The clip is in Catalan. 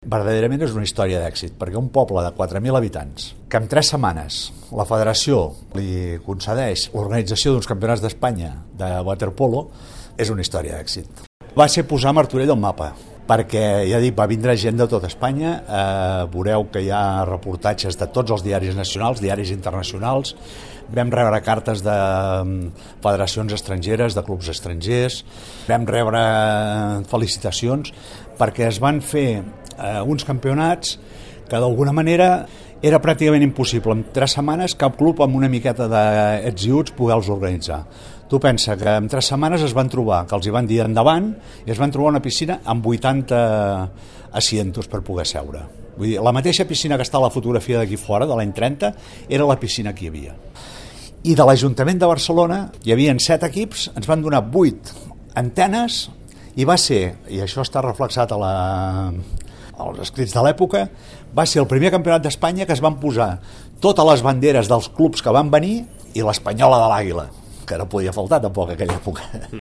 Verdaderament és una història d'èxit, perquè un poble de 4.000 habitants, que en 3 setmanes la federació li concedeix l'organització d'uns campionats d'Espanya de waterpolo, és una història d'èxit. Va ser posar Martorell al mapa, perquè, ja dic, va vindre gent de tot Espanya, veureu que hi ha reportatges de tots els diaris nacionals, diaris internacionals, vam rebre cartes de federacions estrangeres, de clubs estrangers, vam rebre felicitacions, perquè es van fer uns campionats que d'alguna manera era pràcticament impossible en 3 setmanes cap club amb una miqueta d'ets i uts poder-los organitzar. Tu pensa que en 3 setmanes es van trobar, que els hi van dir endavant, i es van trobar una piscina amb 80 asientos per poder seure. Vull dir, la mateixa piscina que està a la fotografia d'aquí fora, de l'any 30, era la piscina que hi havia. I de l'Ajuntament de Barcelona hi havia 7 equips, ens van donar 8 antenes, i va ser, i això està reflexat als escrits de l'època, va ser el primer campionat d'Espanya que es van posar totes les banderes dels clubs que van venir i l'espanyola de l'Àguila, que no podia faltar tampoc en aquella època.